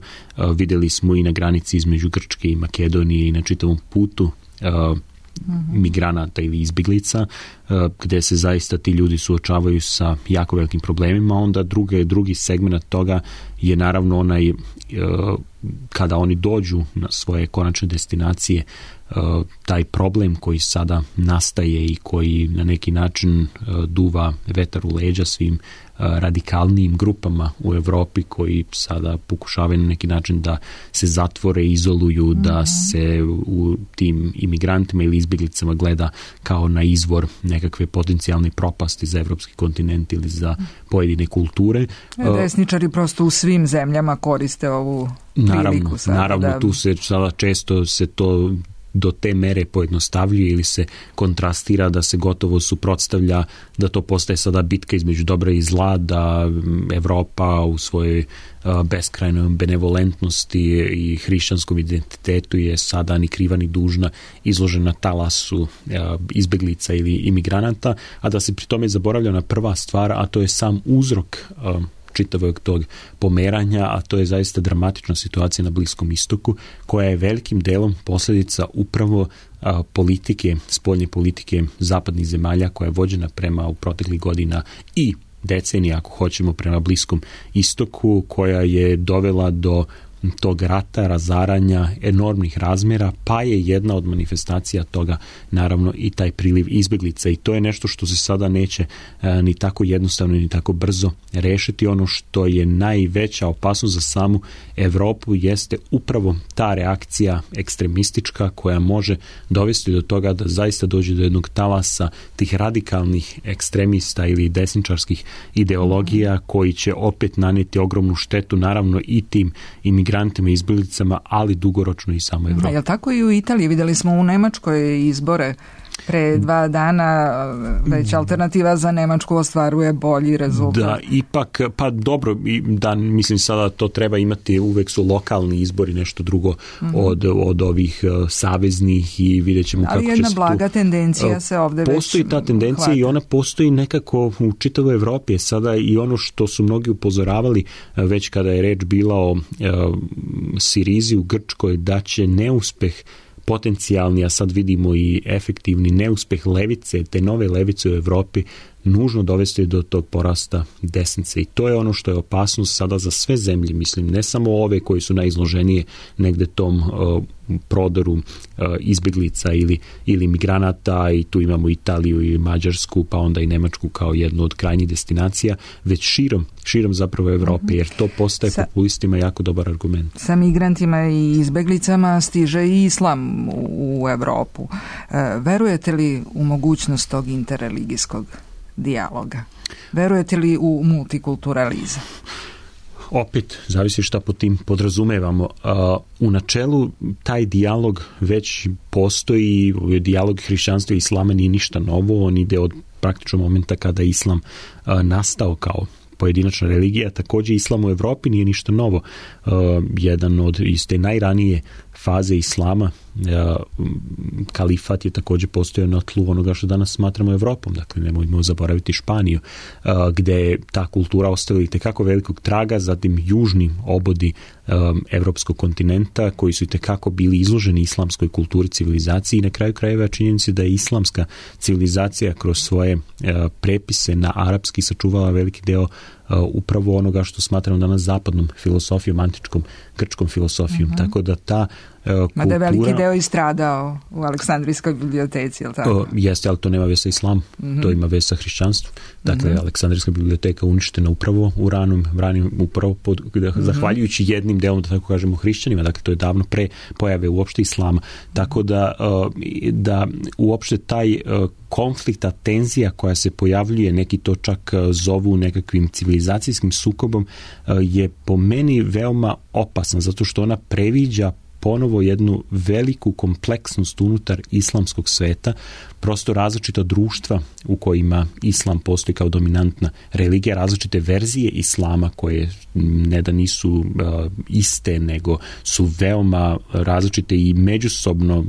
Vidjeli smo i na granici između Grčke i Makedonije i na čitavom putu migranata ili izbjeglica, gdje se zaista ti ljudi suočavaju sa jako velikim problemima. Onda drugi, drugi segment toga je naravno onaj kada oni dođu na svoje konačne destinacije, taj problem koji sada nastaje i koji na neki način duva vetar u leđa svim radikalnijim grupama u Europi koji sada pokušavaju na neki način da se zatvore, izoluju, mm-hmm. da se u tim imigrantima ili izbjeglicama gleda kao na izvor nekakve potencijalne propasti za evropski kontinent ili za pojedine kulture. Desničari prosto u svim zemljama koriste ovu priliku. Naravno, sada, naravno da... tu se sada često se to do te mere pojednostavljuje ili se kontrastira da se gotovo suprotstavlja, da to postaje sada bitka između dobra i zla, da Evropa u svojoj beskrajnoj benevolentnosti i hrišćanskom identitetu je sada ni kriva ni dužna izložena talasu izbeglica ili imigranata, a da se pri tome zaboravlja na prva stvar, a to je sam uzrok čitavog tog pomeranja, a to je zaista dramatična situacija na Bliskom istoku, koja je velikim delom posljedica upravo a, politike, spoljne politike zapadnih zemalja koja je vođena prema u proteklih godina i decenija, ako hoćemo, prema Bliskom istoku, koja je dovela do tog rata, razaranja, enormnih razmjera, pa je jedna od manifestacija toga naravno i taj priliv izbjeglica i to je nešto što se sada neće e, ni tako jednostavno ni tako brzo rešiti. Ono što je najveća opasnost za samu Europu jeste upravo ta reakcija ekstremistička koja može dovesti do toga da zaista dođe do jednog talasa tih radikalnih ekstremista ili desničarskih ideologija koji će opet nanijeti ogromnu štetu naravno i tim imigrantima migrantima i izbjeglicama, ali dugoročno i samo Evropa. Jel tako i u Italiji? Vidjeli smo u Nemačkoj izbore pre dva dana, već alternativa za Nemačku ostvaruje bolji rezultat. Da, ipak, pa dobro, da, mislim sada to treba imati, uvek su lokalni izbori nešto drugo mm-hmm. od, od ovih uh, saveznih i vidjet ćemo ali kako će se tu... Ali jedna blaga tendencija se ovdje već postoji ta tendencija hvata. I ona postoji nekako u čitavoj Evropi. Sada i ono što su mnogi upozoravali već kada je reč bila o uh, Sirizi u Grčkoj, da će neuspeh potencijalni, a sad vidimo i efektivni neuspeh levice, te nove levice u Evropi, nužno dovesti do tog porasta desnice i to je ono što je opasnost sada za sve zemlje, mislim, ne samo ove koji su najizloženije negde tom uh, prodoru uh, izbjeglica ili, ili migranata i tu imamo Italiju i Mađarsku, pa onda i Nemačku kao jednu od krajnjih destinacija, već širom, širom zapravo Evrope, jer to postaje sa, populistima jako dobar argument. Sa migrantima i izbjeglicama stiže i islam u, u Evropu. Uh, verujete li u mogućnost tog interreligijskog dijaloga? Verujete li u multikulturalizam? Opet, zavisi šta po tim podrazumevamo. Uh, u načelu taj dijalog već postoji, dijalog hrišćanstva i islama nije ništa novo, on ide od praktično momenta kada je islam uh, nastao kao pojedinačna religija, također islam u Evropi nije ništa novo. Uh, jedan od iz te najranije faze islama, uh, kalifat je također postojao na tlu onoga što danas smatramo Evropom, dakle nemojmo zaboraviti Španiju, uh, gdje je ta kultura ostavila itekako velikog traga, zatim južni obodi um, evropskog kontinenta koji su itekako bili izloženi islamskoj kulturi, civilizaciji i na kraju krajeva činjenici da je islamska civilizacija kroz svoje uh, prepise na arapski sačuvala veliki deo Uh, upravo onoga što smatramo danas zapadnom filosofijom, antičkom grčkom filosofijom. Uh-huh. Tako da ta kultura. Mada je veliki deo istradao u Aleksandrijskoj biblioteci, je li tako? O, jeste, ali to nema veze sa islamom, mm-hmm. to ima veze sa hrišćanstvom. Dakle, mm-hmm. Aleksandrijska biblioteka uništena upravo u ranom, ranim, upravo pod, mm-hmm. zahvaljujući jednim delom, da tako kažemo, hrišćanima, dakle, to je davno pre pojave uopšte islama. Tako da, da uopšte taj konflikta, tenzija koja se pojavljuje, neki to čak zovu nekakvim civilizacijskim sukobom, je po meni veoma opasna, zato što ona previđa ponovo jednu veliku kompleksnost unutar islamskog sveta, prosto različita društva u kojima islam postoji kao dominantna religija, različite verzije islama koje ne da nisu uh, iste, nego su veoma različite i međusobno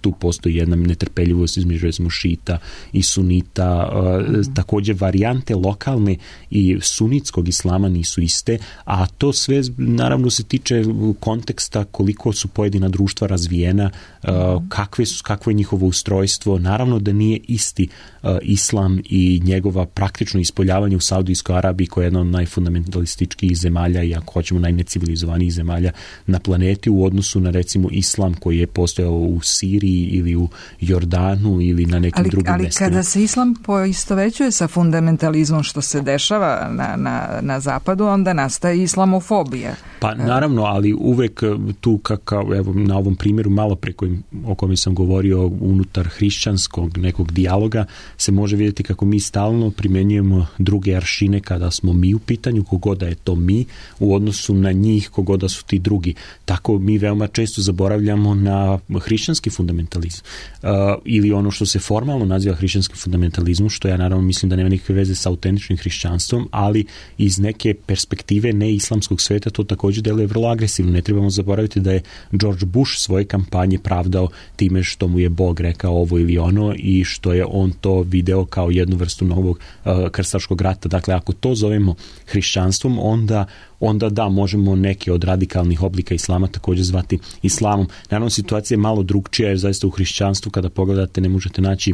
tu postoji jedna netrpeljivost između recimo šita i sunita, uh, mm. također varijante lokalne i sunitskog islama nisu iste, a to sve naravno se tiče konteksta koliko su pojedina društva razvijena, uh, kakve su, kakvo je njihovo ustrojstvo. Naravno da nije isti uh, islam i njegova praktično ispoljavanje u Saudijskoj Arabiji koja je jedna od najfundamentalističkih zemalja i ako hoćemo najnecivilizovanijih zemalja na planeti u odnosu na recimo islam koji je postojao u Siriji ili u Jordanu ili na nekim ali, drugim ali mestima. Ali kada se islam poistovećuje sa fundamentalizmom što se dešava na, na, na zapadu, onda nastaje islamofobija. Pa naravno, ali uvek tu kakav, evo na ovom primjeru malo pre kojim, o kojem sam govorio unutar hrišćanskog nekog dijaloga se može vidjeti kako mi stalno primjenjujemo druge aršine kada smo mi u pitanju, kogoda je to mi u odnosu na njih, kogoda su ti drugi. Tako mi veoma često zaboravljamo na hrišćanski fundamentalizam uh, ili ono što se formalno naziva hrišćanskim fundamentalizmom, što ja naravno mislim da nema nikakve veze sa autentičnim hrišćanstvom, ali iz neke perspektive neislamskog sveta to također deluje vrlo agresivno. Ne trebamo zaboraviti da je George Bush svoje kampanje pravdao time što mu je Bog rekao ovo ili ono i što je on to video kao jednu vrstu novog uh, krstaškog rata. Dakle, ako to zovemo hrišćanstvom, onda onda da, možemo neke od radikalnih oblika islama također zvati islamom. Naravno, situacija je malo drugčija jer zaista u hrišćanstvu kada pogledate ne možete naći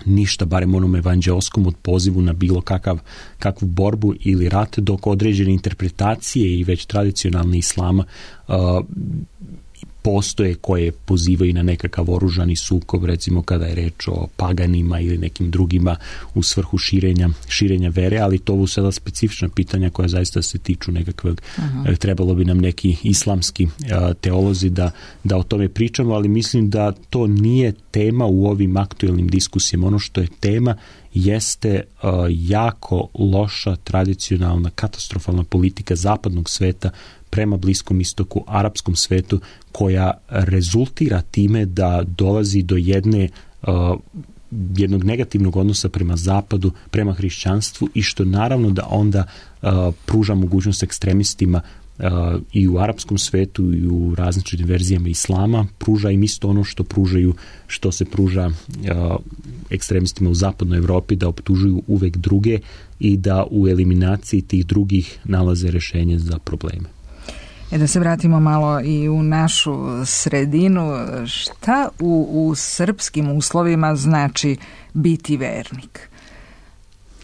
ništa, barem onom evanđeoskom od pozivu na bilo kakav, kakvu borbu ili rat, dok određene interpretacije i već tradicionalni islama uh, postoje koje pozivaju na nekakav oružani sukob, recimo kada je reč o paganima ili nekim drugima u svrhu širenja, širenja vere, ali to su sada specifična pitanja koja zaista se tiču nekakvog, uh-huh. trebalo bi nam neki islamski uh, teolozi da, da o tome pričamo, ali mislim da to nije tema u ovim aktuelnim diskusijama. Ono što je tema jeste uh, jako loša, tradicionalna, katastrofalna politika zapadnog sveta prema Bliskom istoku, arapskom svetu, koja rezultira time da dolazi do jedne uh, jednog negativnog odnosa prema zapadu, prema hrišćanstvu i što naravno da onda uh, pruža mogućnost ekstremistima uh, i u arapskom svetu i u različitim verzijama islama, pruža im isto ono što pružaju, što se pruža uh, ekstremistima u zapadnoj Evropi, da optužuju uvek druge i da u eliminaciji tih drugih nalaze rješenje za probleme. E da se vratimo malo i u našu sredinu, šta u, u srpskim uslovima znači biti vernik?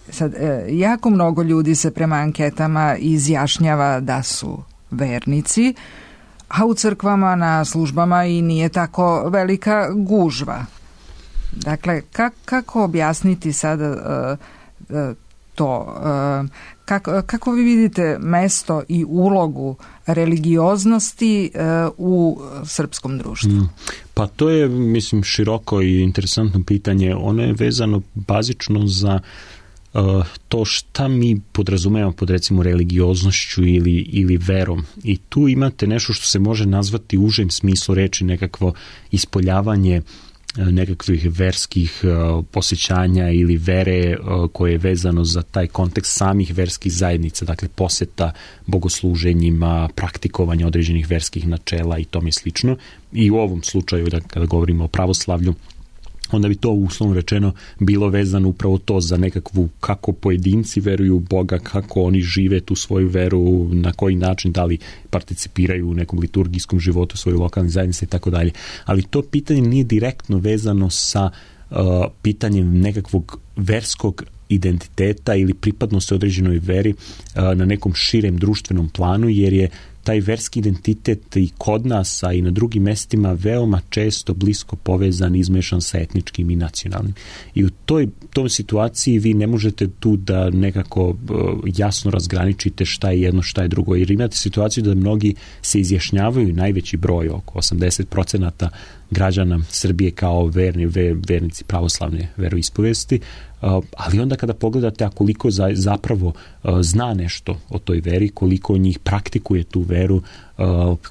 Sad, jako mnogo ljudi se prema anketama izjašnjava da su vernici, a u crkvama na službama i nije tako velika gužva. Dakle, kak, kako objasniti sada uh, uh, to? Uh, kako, kako vi vidite mesto i ulogu religioznosti uh, u srpskom društvu? Mm. Pa to je, mislim, široko i interesantno pitanje. Ono je vezano bazično za uh, to šta mi podrazumevamo pod recimo religioznošću ili, ili verom. I tu imate nešto što se može nazvati u užem smislu reči nekakvo ispoljavanje nekakvih verskih uh, posjećanja ili vere uh, koje je vezano za taj kontekst samih verskih zajednica, dakle poseta bogosluženjima, praktikovanje određenih verskih načela i tome slično. I u ovom slučaju, da, kada govorimo o pravoslavlju, onda bi to uslovno rečeno bilo vezano upravo to za nekakvu kako pojedinci veruju u Boga, kako oni žive tu svoju veru, na koji način, da li participiraju u nekom liturgijskom životu svoje lokalne zajednice i tako dalje. Ali to pitanje nije direktno vezano sa uh, pitanjem nekakvog verskog identiteta ili pripadnosti određenoj veri uh, na nekom širem društvenom planu, jer je taj verski identitet i kod nas, a i na drugim mestima veoma često blisko povezan i izmešan sa etničkim i nacionalnim. I u toj, toj situaciji vi ne možete tu da nekako jasno razgraničite šta je jedno, šta je drugo, jer imate situaciju da mnogi se izjašnjavaju, najveći broj, oko osamdeset procenata građana Srbije kao verni, ver, vernici pravoslavne veroispovesti, ali onda kada pogledate a koliko za, zapravo zna nešto o toj veri, koliko njih praktikuje tu veru,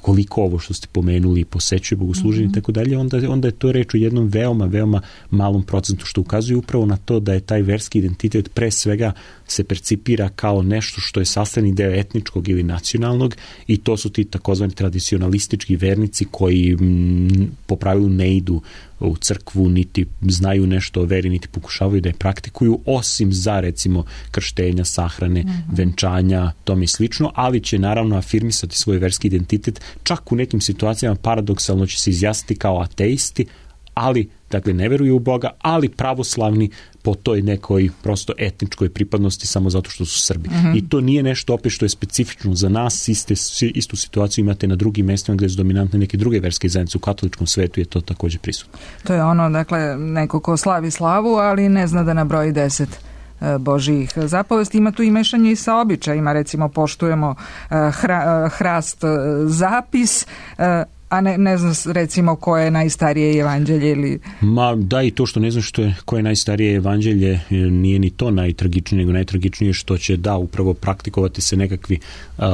koliko ovo što ste pomenuli posećuje bogosluženje i mm-hmm. tako dalje, onda, onda je to reč o jednom veoma, veoma malom procentu, što ukazuje upravo na to da je taj verski identitet pre svega se percipira kao nešto što je sastavni deo etničkog ili nacionalnog, i to su ti takozvani tradicionalistički vernici koji m, po pravilu ne idu u crkvu, niti znaju nešto o veri, niti pokušavaju da je praktikuju, osim za recimo krštenja, sahrane, mm-hmm. venčanja, tome i slično, ali će naravno afirmisati svoj verski identitet, čak u nekim situacijama paradoksalno će se izjasniti kao ateisti, ali, dakle, ne veruju u Boga, ali pravoslavni po toj nekoj prosto etničkoj pripadnosti samo zato što su Srbi. Mm-hmm. I to nije nešto opet što je specifično za nas, iste, istu situaciju imate na drugim mestima gdje su dominantne neke druge verske zajednice, u katoličkom svetu je to također prisutno. To je ono, dakle, neko ko slavi slavu, ali ne zna da nabroji deset Božijih zapovesti. Ima tu i mešanje i sa običajima, recimo poštujemo hra, hrast zapis, a ne, ne znam recimo koje je najstarije evanđelje ili... Ma da, i to što ne znam što je, koje je najstarije evanđelje nije ni to najtragičnije, nego najtragičnije što će da upravo praktikovati se nekakvi uh,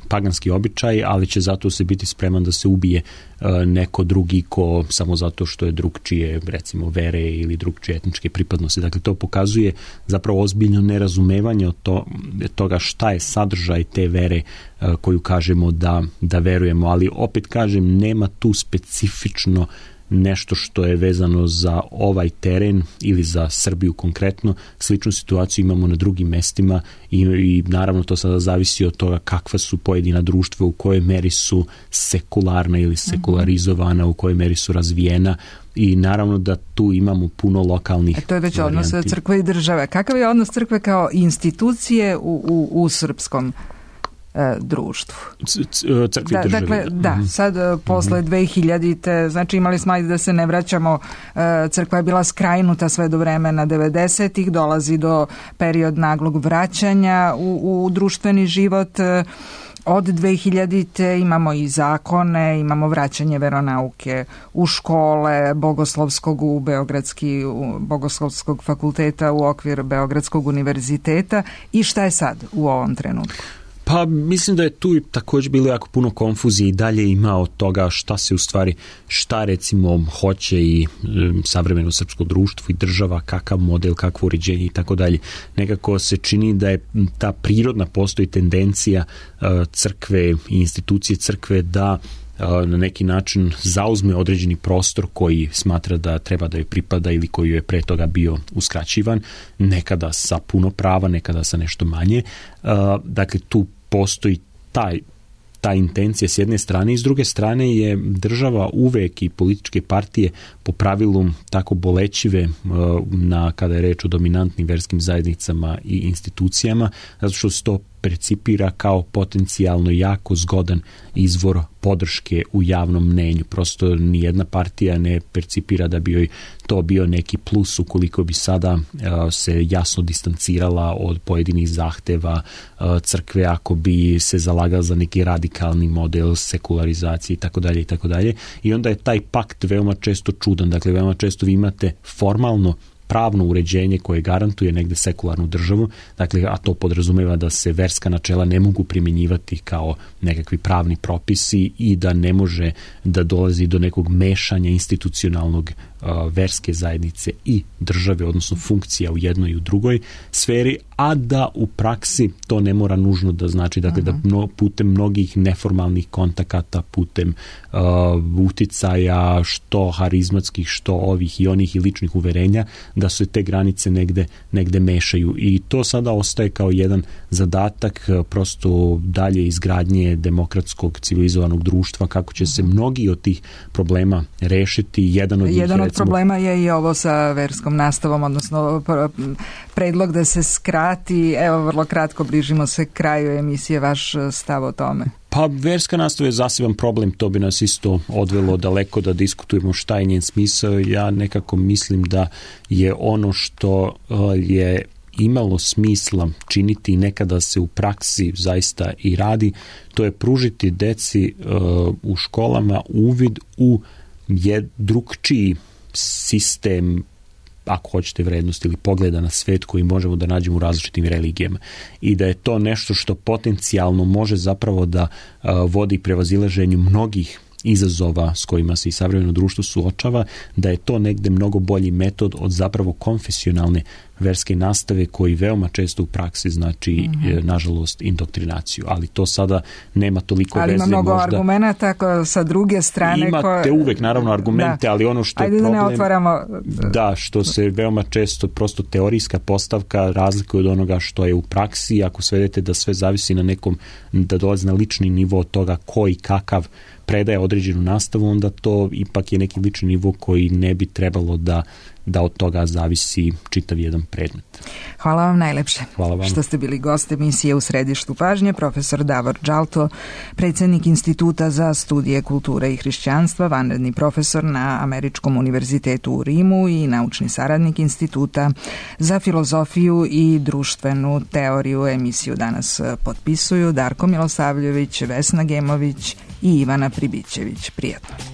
paganski običaj, ali će zato se biti spreman da se ubije uh, neko drugi ko samo zato što je drugčije recimo vere ili drugčije etničke pripadnosti. Dakle, to pokazuje zapravo ozbiljno nerazumevanje od to, toga šta je sadržaj te vere uh, koju kažemo da, da verujemo, ali opet kažem, nema tu specifično nešto što je vezano za ovaj teren ili za Srbiju konkretno. Sličnu situaciju imamo na drugim mestima i, i naravno to sada zavisi od toga kakva su pojedina društva, u kojoj meri su sekularna ili sekularizovana, u kojoj meri su razvijena, i naravno da tu imamo puno lokalnih e to je već varijanti. Odnos crkve i države. Kakav je odnos crkve kao institucije u, u, u srpskom društvu? Crkvi da, dakle, da, sad posle dve hiljadite znači imali smo, ajde da se ne vraćamo, crkva je bila skrajnuta sve do vremena devedesetih, dolazi do period naglog vraćanja u, u društveni život. Od dve hiljadite imamo i zakone, imamo vraćanje veronauke u škole, bogoslovskog u Beogradski, u bogoslovskog fakulteta u okvir Beogradskog univerziteta. I šta je sad u ovom trenutku? Pa mislim da je tu također bilo jako puno konfuzije i dalje ima od toga šta se u stvari, šta recimo hoće i um, savremeno srpsko društvo i država, kakav model, kakvo uređenje i tako dalje. Nekako se čini da je ta prirodna postoji tendencija uh, crkve i institucije crkve da na neki način zauzme određeni prostor koji smatra da treba da joj pripada ili koji je pre toga bio uskraćivan, nekada sa puno prava, nekada sa nešto manje. Dakle, tu postoji taj ta intencija s jedne strane i s druge strane je država uvek i političke partije po pravilu tako bolećive na kada je reč o dominantnim verskim zajednicama i institucijama, zato što se to percipira kao potencijalno jako zgodan izvor podrške u javnom mnenju. Prosto nijedna partija ne percipira da bi joj to bio neki plus ukoliko bi sada uh, se jasno distancirala od pojedinih zahteva uh, crkve, ako bi se zalagala za neki radikalni model sekularizacije i tako dalje i tako dalje. I onda je taj pakt veoma često čudan. Dakle, veoma često vi imate formalno pravno uređenje koje garantuje negde sekularnu državu, dakle, a to podrazumeva da se verska načela ne mogu primjenjivati kao nekakvi pravni propisi i da ne može da dolazi do nekog mešanja institucionalnog uh, verske zajednice i države, odnosno funkcija u jednoj i u drugoj sferi, a da u praksi to ne mora nužno da znači, dakle, uh-huh. da mno, putem mnogih neformalnih kontakata, putem uh, uticaja, što harizmatskih, što ovih i onih i ličnih uverenja, da se te granice negde, negde mešaju. I to sada ostaje kao jedan zadatak prosto dalje izgradnje demokratskog civilizovanog društva, kako će se mnogi od tih problema rešiti. Jedan od, njih, jedan od recimo, problema je i ovo sa verskom nastavom, odnosno predlog da se skrati. Evo, vrlo kratko, bližimo se kraju emisije, vaš stav o tome. Pa verska nastava je zaseban problem, to bi nas isto odvelo daleko da diskutujemo šta je njen smisao. Ja nekako mislim da je ono što je imalo smisla činiti i nekada se u praksi zaista i radi, to je pružiti deci uh, u školama uvid u je drugčiji sistem, ako hoćete, vrednosti ili pogleda na svet koji možemo da nađemo u različitim religijama. I da je to nešto što potencijalno može zapravo da uh, vodi prevazilaženju mnogih izazova s kojima se i savremeno društvo suočava, da je to negde mnogo bolji metod od zapravo konfesionalne verske nastave koji veoma često u praksi znači, mm-hmm. nažalost, indoktrinaciju. Ali to sada nema toliko ali veze. Ali ima mnogo možda... argumenta sa druge strane. Imate ko... uvek, naravno, argumente, da. Ali ono što Ajde je problem... da ne otvaramo... Da, što se veoma često prosto teorijska postavka razlikuje od onoga što je u praksi. Ako svedete da sve zavisi na nekom, da dolazi na lični nivo od toga ko i kakav predaje određenu nastavu, onda to ipak je neki lični nivo koji ne bi trebalo da, da od toga zavisi čitav jedan predmet. Hvala vam najlepše. Hvala vam. Što ste bili gost emisije U središtu pažnje, profesor Davor Džalto, predsjednik Instituta za studije kulture i hrišćanstva, vanredni profesor na Američkom univerzitetu u Rimu i naučni saradnik Instituta za filozofiju i društvenu teoriju. Emisiju danas potpisuju Darko Milosavljević, Vesna Gemović i Ivana Pribićević. Prijatno.